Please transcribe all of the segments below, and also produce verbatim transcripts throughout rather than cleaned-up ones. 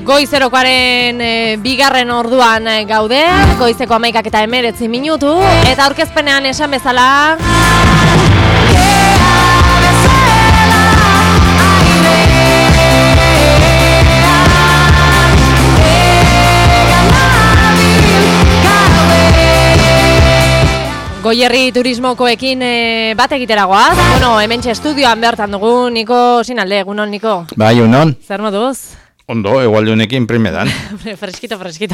Goizerokoaren e, bigarren orduan e, gaude, goizeko hamaikak eta hemeretzi minutu, eta aurkezpenean esan bezala... Goierri turismokoekin e, bat egiteragoaz. Bueno, hementxe estudioan bertan dugu, Niko Sinalde, egunon, Niko. Bai, egunon. Zer moduz? Ondo, egualde honekin primeran. freskito, freskito.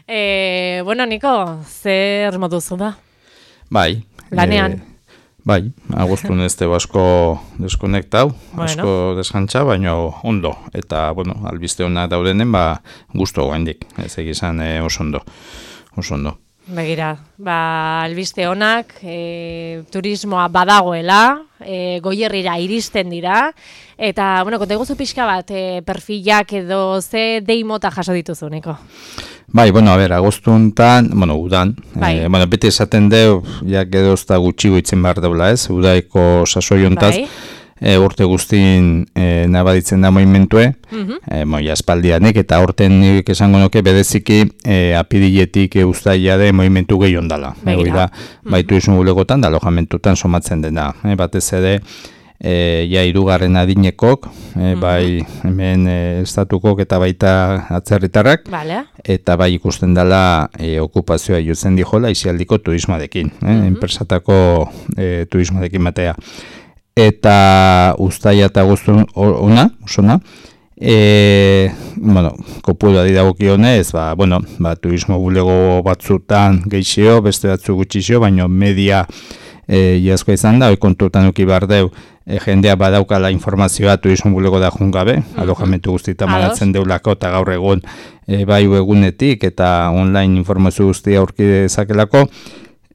e, bueno, Niko, zer moduzu da? Bai. Lanean? E, bai, agustun ez tebo asko deskonektau, bueno. asko deskantza, baina ondo. Eta, bueno, albiste hona daudenen, ba, gustu gaindik. Ez egizan e, oso ondo. Oso ondo. Begira, ba, albiste honak, e, turismoa badagoela, e, Goierrira iristen dira, eta, bueno, konta iguzu pixka bat, e, perfilak edo ze deimota jaso dituzuneko? Bai, bueno, a ber, agostuntan, bueno, udan, bai. e, bueno, beti esaten deu, ja gedozta gutxigo itzen behar deula ez, udaiko sasoiontaz, bai. E, urte guztin e, nabaditzen da moimentue, uh-huh. e, moia espaldianek, eta horten nik esango nuke bedeziki e, apidiletik e, ustaia de moimentu gehion dala. E, da, uh-huh. Baitu izun gulegotan, da alojamentutan somatzen dena. E, batez ere, e, ja irugarren adinekok, e, uh-huh. bai hemen e, estatukok eta baita atzerritarrak, vale. Eta bai ikusten dela e, okupazioa jotzen dijola isialdiko turismoarekin, e, uh-huh. enpresatako e, turismoarekin batea. Eta uztaia eta guztun ona, osona, e, bueno, kopura didagokionez, ba, bueno, ba, turismo bulego batzutan geixio, beste batzu gutxixio, baina media e, iazkoa izan da, hoi kontutan uki behar deu, e, jendea badaukala informazioa turismo bulego da jungabe, uh-huh. alojamentu guztita manatzen deulako, eta gaur egun e, bai egunetik, eta online informazio guztia aurki dezakelako.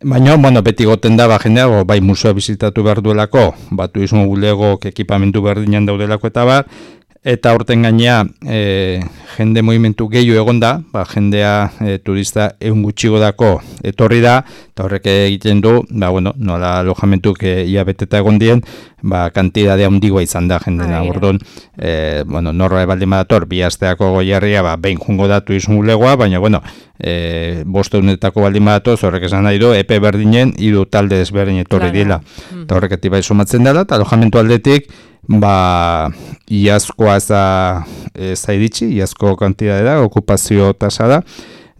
Baina, bueno, beti goten da, ba, jendea, bai musea bizitatu behar duelako, ba, turismo bulegok ekipamentu berdinan daudelako eta bar, eta horten gainea e, jende movimentu gehiago egon da, ba, jendea e, turista egun gutxigo dako etorri da, eta horrek egiten du, ba, bueno, nola alojamentuk e, ia beteta egon dien, ba, kantidadea handigoa izan da jendena, orduan, e, bueno, norra ebaldin badator, bi asteako Goierria, ba, behin jungo da turismo bulegoa, baina, bueno, e, boste unetako baldin badatoz, horrek esan nahi du, epe berdinen, hiru talde desberdin etorri claro. Dila, mm. Eta horrek etibai somatzen dela, eta alojamentu aldetik, ba, iazkoa ez da iritsi, iazko kantidade da, okupazio tasa da,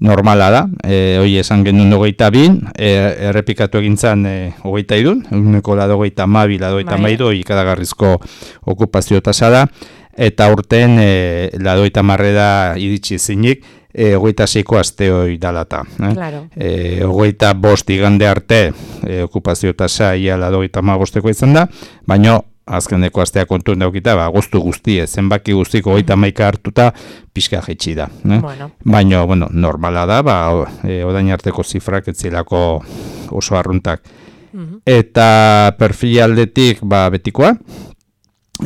normala da, e, hoi esan genuen hogeita bin, e, errepikatu egintzan e, hogeita idun, uneko lado hogeita mabi, lado hogeita maidu, ikadagarrizko okupazio tasa da, eta urten e, lado hogeita marre da iritsi zinik, e, hogeita seiko aste hoi dalata. Eh? Claro. E, hogeita bost igande arte e, okupazio tasa ia lado hogeita ma bosteko izan da, baina azkeneko astea kontuen daukita, ba, agostu guztie, zenbaki guztiko hogeita hamaika hartuta pixka jetxi da. Eh? Bueno. Baina, bueno, normala da, ba, e, odain arteko zifrak etzilako oso arruntak. Uh-huh. Eta perfil aldetik, ba, betikoa,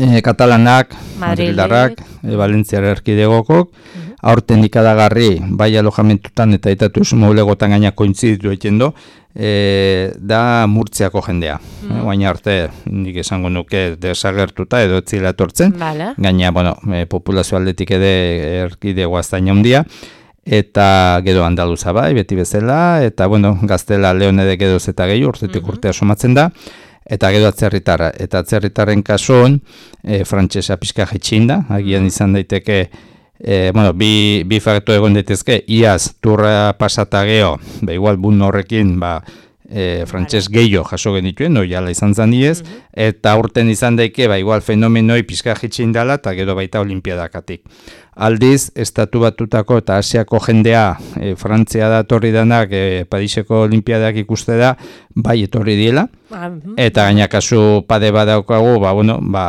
e, katalanak, madrildarrak, e, valentziar erkidegokok, uh-huh. aurten ikadagarri, bai alojamentutan eta eta turismo bulegotan gaina kointziditu egiten du, E, da Murtziako jendea. Mm. E, Baina arte, nik esango nuke desagertuta edo etzila etortzen. Vale. Gaina, bueno, e, populazio aldetik ede erkidego aztaina handia. Eta gero andaluza bai, beti bezala. Eta, bueno, gaztela leon ede gedoz eta gehi urtetik mm-hmm. urtea somatzen da. Eta gero atzerritarra. Eta atzerritarren kasuan, e, frantsesa pixka jetxin da. Agian izan daiteke E, bueno, bi, bi faktu egon daitezke, iaz turra pasata geho, ba, igual bun horrekin, ba, e, frantses gehiago jaso genituen, no, jala izan zan diez, mm-hmm. eta urten izan daike, ba, igual fenomenoi pizka jitxin dela, eta gero baita olimpiadakatik. Aldiz, estatu batutako eta Asiako jendea, e, Frantzia da etorri danak, e, Pariseko olimpiadak ikuste da, bai etorri diela, mm-hmm. eta gaina kasu pade badaukagu, ba, bueno, ba,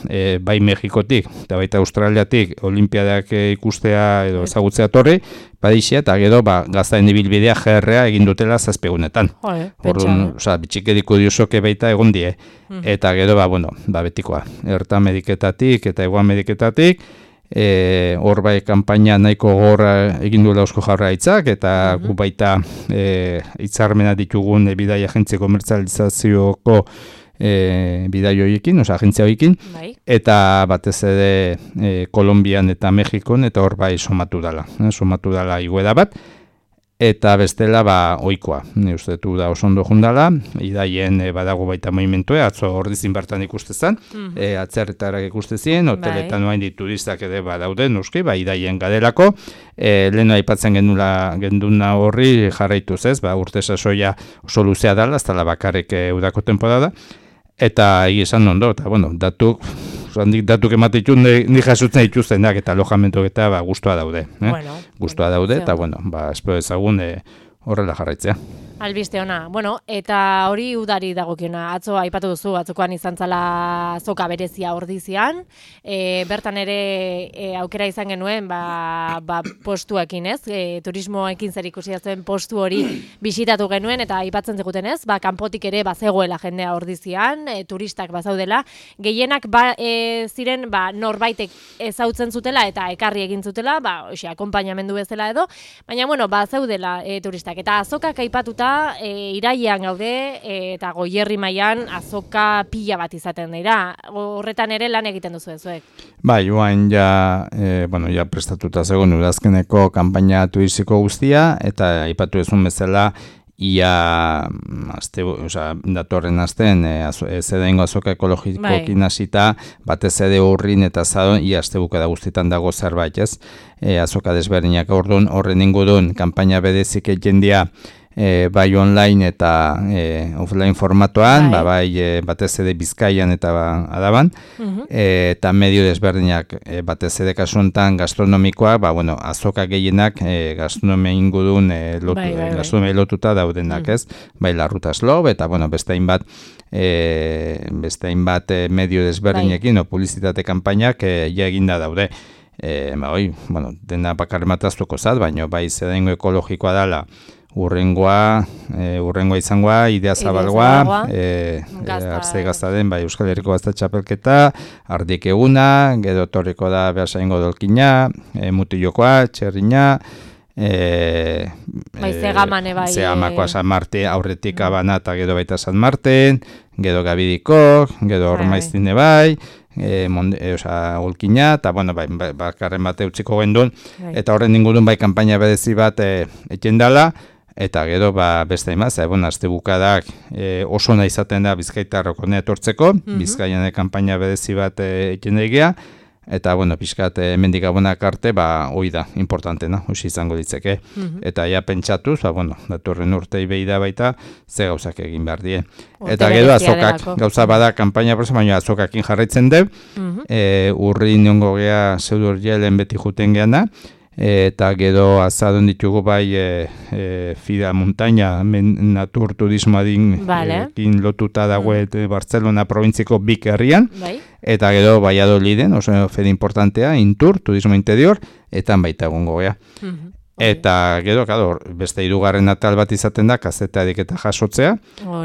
e, bai Mexikotik, eta baita Australiatik, olimpiadak e, ikustea edo ezagutzea etorri, Parisia, eta gero, ba, gaztaen ibilbidea G R A egin dutela zazpegunetan. Horren, oza, bitxikediko diosoke baita egon die. Mm-hmm. Eta gero, ba, bueno, ba, betikoa, Erta Ameriketatik eta Ego Ameriketatik, E, hor bai kanpaina nahiko gorra egin duela Eusko Jaurlaritzak eta mm-hmm. gu baita e, hitzarmena ditugun e, bidai agentzi komertzializazioko e, bidai horiekin, oza, agentzia horiekin, bai. Eta batez ere e, Kolonbian eta Mexikon, eta hor bai somatu dala, eh, somatu dala igueda bat, eta bestela ba ohikoa. Ni uste du da oso ondo jundala, idaien e, badago baita movimentue, atzo ordizin bertan ikuste zen, mm -hmm. e, atzerretarak ikuste ziren, hoteletan bai. Turistak ere badaude, noski, ba idaien gadelako, e, leheno aipatzen genula genduna horri jarraituz ez, ba urte sasoia oso luzea dela, ez dela bakarrik e, udako temporada, eta egi esan ondo, eta bueno, datuk, handik datuk ematitun ni jasutzen dituztenak eta alojamentu eta ba, gustua daude. Eh? Bueno, gustua daude, eta bueno, ba, espero ezagun e, horrela jarraitzea. Albiste ona. Bueno, eta hori udari dagokiona. Atzo aipatu duzu, atzokoan izan zala azoka berezia ordizian. E, bertan ere e, aukera izan genuen ba, ba, postuekin, ez? E, turismoekin zer ikusi zuen postu hori bisitatu genuen, eta aipatzen ziguten, ez? Ba, kanpotik ere bazegoela jendea ordizian, e, turistak bazaudela. Gehienak ba, e, ziren ba, norbaitek ezautzen zutela eta ekarri egin zutela, ba, oxe, akonpainamendu bezala edo, baina, bueno, bazaudela e, turistak. Eta azokak aipatuta E, irailean gaude e, eta Goierri mailan azoka pila bat izaten dira. Horretan ere lan egiten duzu zuek. Bai, joan ja, e, bueno, ja prestatuta zegoen udazkeneko kanpaina turistiko guztia, eta aipatu ezun bezala ia aste, osea, datorren astean e, zedengo azoka ekologikoekin hasita, batez ere urrin eta zadon ia astebuka da guztietan dago zerbait, ez? E, azoka desberdinak ordun horren ingurun kanpaina berezik jendia E, bai online eta e, offline formatoan, bai, ba, bai e, batez ere Bizkaian eta ba, Adaban, uh-huh. e, eta medio desberdinak e, batez ere kasuntan gastronomikoa, ba, bueno, azoka gehienak e, gastronomia ingurun e, lotu, bai, bai, gastronomia lotuta daudenak, uh-huh. ez? Bai, Larruta Slob, eta bueno, beste hainbat e, beste hainbat e, medio desberdinekin, bai, o publizitate kanpainak e, ja eginda daude. E, ba, oi, bueno, dena bakar mataztuko zat, baina bai zedengo ekologikoa dela, Urrengoa, e, urrengoa izangoa, idea zabalgoa, e, arze gazta den, bai, Euskal Herriko Gazta Txapelketa, ardik eguna, gero torriko da behasaingo dolkina, e, mutilokoa, txerrina, e, bai, zegamane bai. Zegamakoa San Marte, aurretik abana eta gero baita San Marten, gero Gabidiko, gero Ormaiztine bai, E, monde, e, oza, olkina, eta bueno, bai, bakarren bate utziko gendun, eta horren ingurun bai kanpaina berezi bat e, eken dala, eta gero ba, beste imaz, e, bueno, azte bukadak e, oso nahi izaten da Bizkaitarrok honea etortzeko, mm-hmm. Bizkaian kanpaina berezi bat e, eken egia, eta bueno, pixkat hemendik abonak arte, ba, hoi da, importantena, hoxi izango ditzeke. Mm-hmm. Eta ja pentsatuz, ba, bueno, datorren urtei behi da baita, ze gauzak egin behar die. Eta gero azokak, delako. Gauza bada, kanpaina prosa, baina azokakin jarraitzen deu, mm-hmm. e, urri niongo geha zeudur jelen beti juten geana, eta gero azadon ditugu bai e, e, Fida Montaña men, natur turismoadin vale. e, lotuta dagoet mm. Barcelona provintziko bik herrian, bai. Eta gero Valladoliden, oso fede importantea, Intur, turismo interior, eta baita egongo gea. Mm-hmm. Eta gero, claro, beste hirugarren atal bat izaten da, kazetarik eta jasotzea,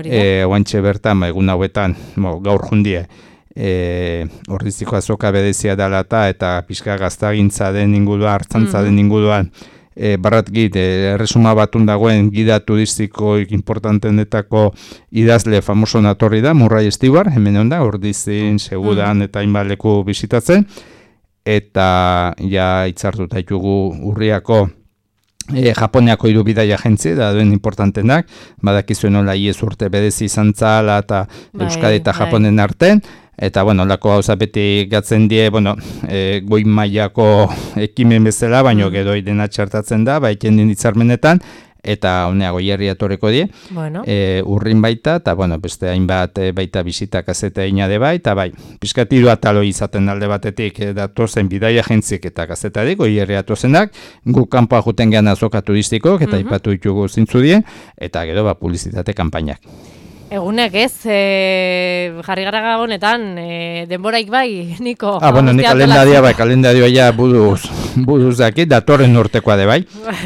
e, oantxe bertan, egun hauetan, mo, gaur jundie, E, ordiziko azoka bedezia dela eta pixka gaztagintza den inguruan, hartzantza den inguruan, e, barrat git, e, erresuma batun dagoen gida turistiko importantenetako idazle famoso natorri da, Murray Stewart, hemen onda, ordizin, segudan eta hainbaleku bisitatzen, eta ja itzartuta ditugu urriako E, Japoniako hiru bidaia agentzi da duen importantenak, badakizuen nola iez urte bedezi izan zala eta Euskadi eta Japonen arten, eta bueno, lako gauza beti gatzen die, bueno, e, goi mailako ekimen bezala, baino gero idena txartatzen da, baiken din hitzarmenetan, eta honea Goierri atoreko die, bueno. e, urrin baita, eta bueno, beste hainbat e, baita bisita kazeta inade bai, eta bai, piskatiru atalo izaten alde batetik e, datozen bidaia agentzik eta kazetarik, Goierri atozenak, gu kanpoa juten gehan azoka turistikok, eta mm-hmm. ipatu ditugu zintzu die, eta gero ba, publizitate kanpainak. Egunek ez, e, jarri gara gabonetan, e, denboraik bai, Niko. Ah, bueno, ni kalendaria bai, kalendaria ja buduz, buduz daki, datorren urtekoa de bai.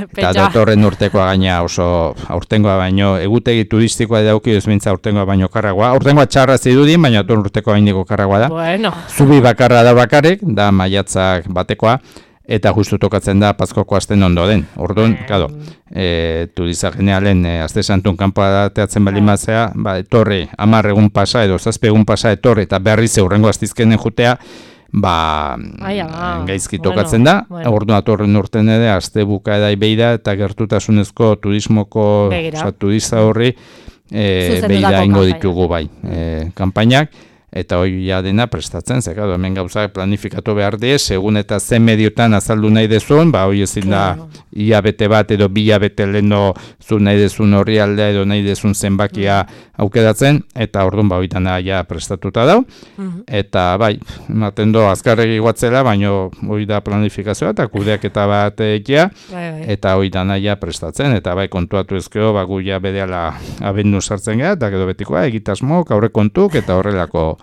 Eta datorren urtekoa gaina oso aurtengoa baino, egutegi turistikoa dauki duzmintza aurtengoa baino karragoa. Aurtengoa txarra zidudin, baina datorren urtekoa bainiko karragoa da. Bueno. Zubi bakarra da bakarrik, da maiatzak batekoa. eta justu tokatzen da Paskoko asten ondoren. Orduan, claro, eh turista generalen e, aste santun kanpoa teatzen bali mazea, ba etorri hamar egun pasa edo zazpi egun pasa etorri eta berriz hurrengo astizkenen jutea, ba gaizki tokatzen da. Bueno. Orduan atorren urten ere aste bukaera beira eta gertutasunezko turismoko, osea turista horri eh beira ingo ditugu bai, eh kanpainak. Eta hori ja dena prestatzen, ze claro, hemen gauzak planifikatu behar die, segun eta zen mediotan azaldu nahi dezun, ba hori ezin da ia bete bat edo bila bete leno zu nahi dezun horri aldea edo nahi dezun zenbakia aukeratzen, eta orduan ba hori dana ja prestatuta dau, eta bai, ematen do azkarregi guatzela, baino hori da planifikazioa eta kudeak eta bat egia, eta hori dana ja prestatzen, eta bai kontuatu ezkeo, ba gu ja bedeala abendu sartzen gara, eta gero betikoa egitasmok, aurre kontuk, eta horrelako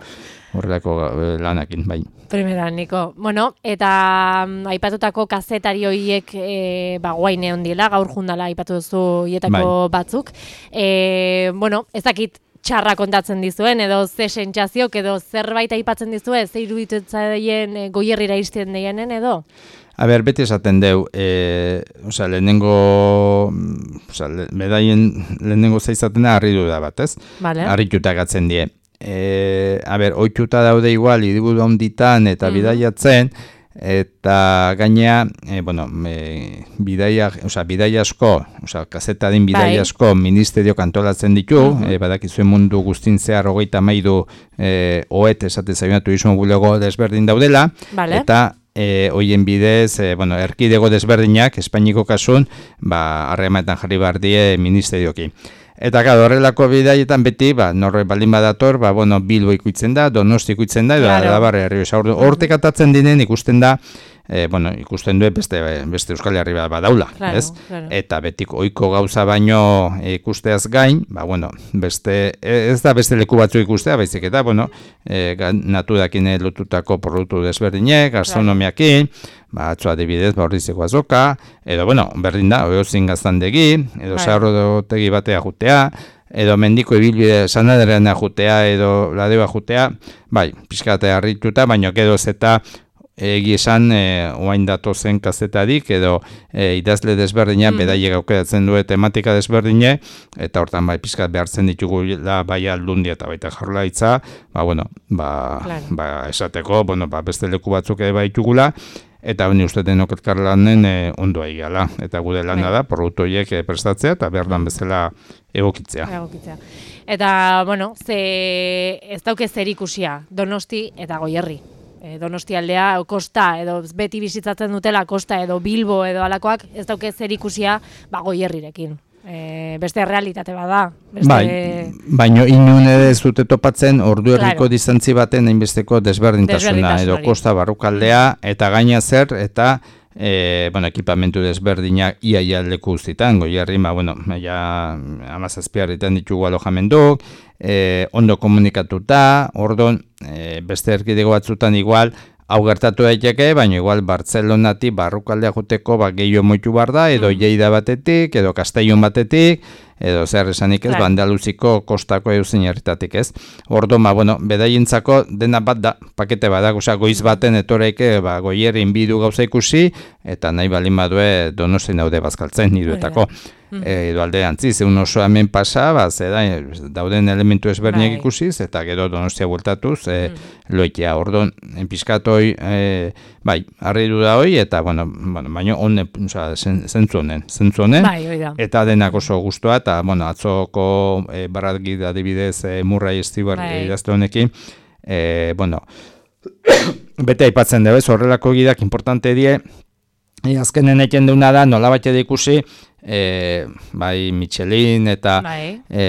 horrelako lanakin, bai. Primera, Niko. Bueno, eta um, aipatutako kazetari horiek e, ba, guaine ondiela, gaur jundala aipatu duzu hietako bai. Batzuk. E, bueno, ez dakit txarra kontatzen dizuen, edo ze sentsaziok, edo zerbait aipatzen dizue, ze iruditutzaien e, goierrira izten deienen, edo? A ber, beti esaten deu, e, osea, lehenengo, osea, le, bedaien lehenengo zaizatena harridu da bat, ez? Vale. Harrituta gatzen die. E, a ber, oituta daude igual, hiriburu handitan eta mm. bidaiatzen, eta gainea, e, bueno, e, bidaia, osea, bidaia asko, osea, kazetadin bidaia asko ministerio kantolatzen ditu, mm-hmm. e, badakizuen mundu guztin zehar hogeita mairu e, oet esate zaioa turismo bulego desberdin daudela, vale. Eta E, hoien bidez, e, bueno, erkidego desberdinak, Espainiko kasun, ba, harremanetan jarri behar die ministerioki. Eta gara, horrelako bidaietan beti, ba, norre baldin badator, ba, bueno, Bilbo ikutzen da, Donosti ikutzen da, edo claro. Arabarre Errioxa. Hortek atatzen dinen ikusten da, e, bueno, ikusten du beste, beste Euskal Herri bat badaula, claro, ez? Claro. Eta betik ohiko gauza baino ikusteaz gain, ba, bueno, beste, ez da beste leku batzu ikustea, baizik eta, bueno, e, naturakin lotutako produktu desberdinek, gastronomiakin, ba, atzo adibidez, ba, horrizeko azoka, edo, bueno, berdin da, oiozin gaztandegi, edo right. Zaharrotegi batea jutea, edo mendiko ibilbide sanaderean jutea, edo ladeba jutea, bai, pixkate harrituta, baino edo zeta egi esan, e, oain datozen kazetarik, edo e, idazle desberdina, mm. bedaile gaukeratzen du tematika desberdine, eta hortan bai pixkat behartzen ditugu da, bai aldundia eta baita jarlaitza, ba, bueno, ba, claro. ba, esateko, bueno, ba, beste leku batzuk ere baitugula, eta honi uste denok elkarlanen e, ondo egala, eta gude lana da, produktu horiek e, prestatzea, eta behar dan bezala egokitzea. Egokitzea. Eta, bueno, ze ez dauke zer ikusia, Donosti eta Goierri. E, Donosti aldea, kosta, edo beti bizitzatzen dutela kosta, edo Bilbo, edo alakoak, ez dauke zer ikusia, ba, Goierrirekin. E, beste realitate bada. Beste... Bai, baino inun ere ez dute topatzen ordu herriko claro. Distantzi baten hainbesteko desberdintasuna, edo kosta barrukaldea, eta gaina zer, eta e, bueno, ekipamentu desberdinak iaia leku guztitan, Goierri, ba, bueno, ja amazazpiarritan ditugu alojamenduk, e, ondo komunikatuta, ordon, e, beste erkidego batzutan igual, hau gertatu daiteke, baina igual Bartzelonati barrukaldea juteko ba, gehiago moitu bar da, edo mm. Lleida batetik, edo Castellon batetik, edo zer esanik ez, claro. Bandaluziko kostako eusin herritatik ez. Ordo, ma, bueno, bedaientzako dena bat da, pakete badak, osea, goiz baten etoreike, ba, Goierrin bidu gauza ikusi, eta nahi balin badue Donostin daude bazkaltzen, niduetako. Mm. E, edo alde antzi, zeun oso hemen pasa, ba, zeda, dauden elementu ezberdinak ikusiz, eta gero Donostia bueltatuz, e, mm. loitea, ordon, enpiskatoi, e, bai, harri du da hoi, eta, bueno, bueno baino, honen, osea, zentzu honen, zentzu honen, bai, eta denak oso guztua, eta, bueno, atzoko e, barratgit adibidez e, Murray Stewart bai. Idazte honekin, e, bueno, bete aipatzen dugu, horrelako gidak importante die, e, azkenen eken deuna da, nola bat ikusi, e, bai Michelin eta bai. e,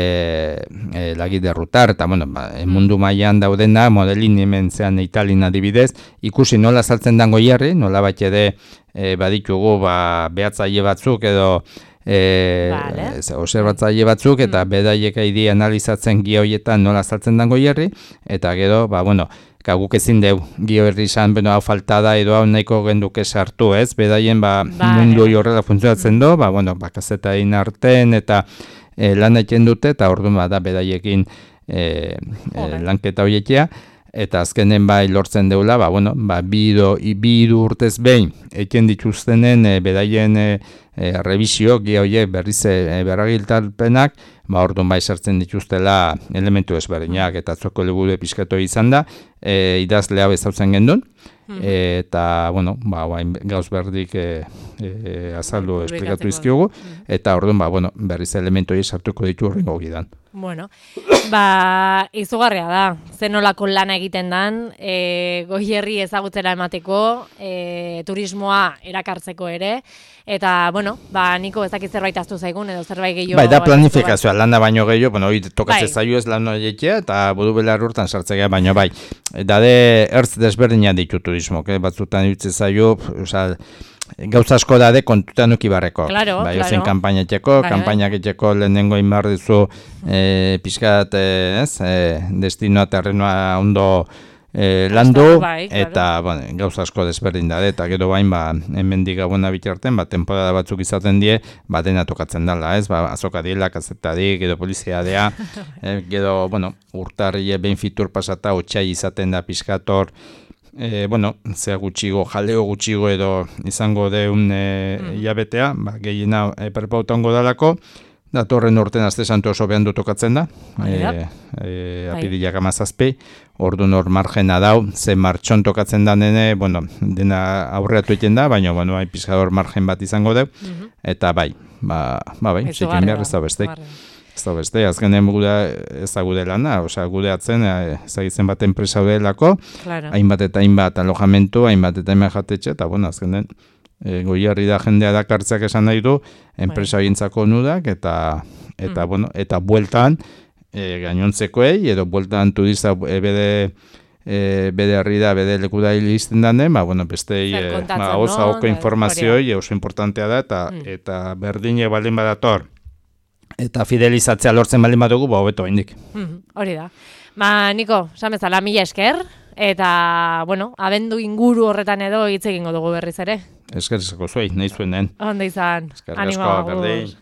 e, lagit derrutar, eta bueno, ba, mundu mailan daudena, modelin hemen zean Italin adibidez, ikusi nola saltzen dan Goierri, nola bat ede e, baditugu ba, behatzaile batzuk edo E, vale. Observatzaile batzuk eta mm. bedaiek aidi analizatzen gioietan nola saltzen dan Goierri, eta gero, ba, bueno, guk ezin deu Goierri izan, beno, hau faltada edo hau nahiko genduke sartu, ez? Bedaien, ba, vale. Mundu hori horrela funtzionatzen mm. do, ba, bueno, ba, kazetain arten eta e, lan egiten dute, eta orduan, ba, da, bedaiekin e, e, lanketa horiekia. eta azkenen bai lortzen deula, ba, bueno, ba, bido, bidu urtez behin, eken dituztenen e, bedaien e, e, revisio, gehioie berriz e, berragiltalpenak, ba, orduan bai sartzen dituztela elementu ezberdinak, eta atzoko helburu pixkatu izan da, e, idazle hau ezautzen gendun, e, eta, bueno, ba, gauz berdik e, e, azaldu esplikatu izkiugu, eta orduan, ba, bueno, berriz elementu hori sartuko ditu horrengo gidan. Bueno, ba, izugarria da, zenolako lana egiten dan, e, Goierri ezagutzera emateko, e, turismoa erakartzeko ere, eta, bueno, ba, Niko ezakit zerbait aztu zaigun, edo zerbait gehiago... Bai, da planifikazioa, lana baino gehiago, bueno, hori tokatzen zaio ez lan horietia, eta budu belar urtan sartzea baino bai. Dade, ertz desberdina ditu turismo, que batzutan ditzen zaio, oza, gauza asko dade kontutan uki barreko. Claro, bai, claro. Ozen kanpaina etxeko, kanpainak etxeko lehenengo inbar dizu e, pixkat, ez, e, destinoa, terrenoa ondo e, landu, bai, eta claro. Bueno, gauza asko desberdin dade, eta gero bain, ba, hemendik gabona bitarten, ba, temporada batzuk izaten die, ba, dena tokatzen dela, ez, ba, azoka diela, kazetadik, edo polizia dea, e, gero, bueno, urtarri behin fitur pasata, otxai izaten da pixkator, E, bueno, zea gutxigo, jaleo gutxigo edo izango deun e, mm. iabetea, ba, gehiena e, perpautango dalako, datorren urten azte santu oso behan tokatzen da, e, e, apidilak amazazpi, ordu nor margena dau, ze martxon tokatzen da nene, bueno, dena aurreatu egiten da, baina, bueno, hai pizkador margen bat izango deu, mm-hmm. eta bai, ba, ba bai, zikin behar ez da besteik. Ez da beste, azkenen gude ez da gude lana, osea, gude atzen, ezagitzen bat enpresa delako, claro. Hainbat eta hainbat alojamentu, hainbat eta hainbat jatetxe, eta bueno, azkenen e, Goierri da jendea dakartzeak esan nahi du, enpresa gintzako nudak, eta, eta, mm. bueno, eta bueltan, e, gainontzekoei, edo bueltan turista e, bede, e, bede herri da, bede leku da hilizten danen, ba, bueno, beste, e, ba, oza, no? Oko informazioi, oso importantea da, eta, mm. eta berdine baldin badator, eta fidelizatzea lortzen baldin badugu, ba, hobeto haindik. Mm, hori da. Ba, Niko, samezala, mila esker, eta, bueno, abendu inguru horretan edo hitz egingo dugu berriz ere. Eskerzako zuei, nahi zuen den. Onda izan. Eskerzako, berdin.